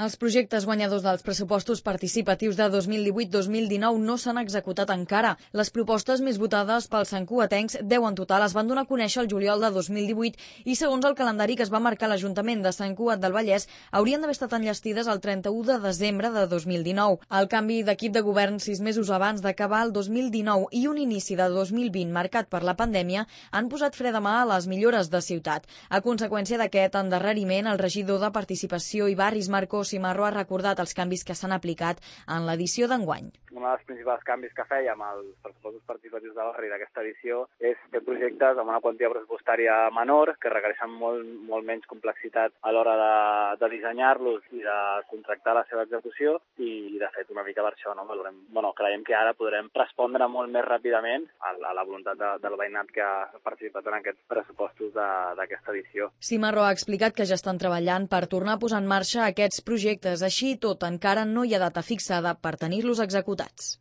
Els projectes guanyadors dels pressupostos participatius de 2018-2019 no s'han executat encara. Les propostes més votades pels santcugatencs, 10 en total, es van donar a conèixer el juliol de 2018 i, segons el calendari que es va marcar l'Ajuntament de Sant Cugat del Vallès, haurien d'haver estat enllestides el 31 de desembre de 2019. El canvi d'equip de govern 6 mesos abans d'acabar el 2019 i un inici de 2020 marcat per la pandèmia han posat fre de mà a les millores de ciutat. A conseqüència d'aquest endarreriment, el regidor de Participació i Barris, Marcos Cimarro, ha recordat els canvis que s'han aplicat en l'edició d'enguany. Un dels principals canvis que fèiem als pressupostos participatius de barri d'aquesta edició és fer projectes amb una quantia pressupostària menor, que requereixen molt menys complexitat a l'hora de dissenyar-los i de contractar la seva execució, i de fet una mica per això creiem que ara podrem respondre molt més ràpidament a la voluntat del veïnat que ha participat en aquests pressupostos d'aquesta edició. Cimarro ha explicat que ja estan treballant per tornar a posar en marxa aquests projectes. Així i tot, encara no hi ha data fixada per tenir-los executats.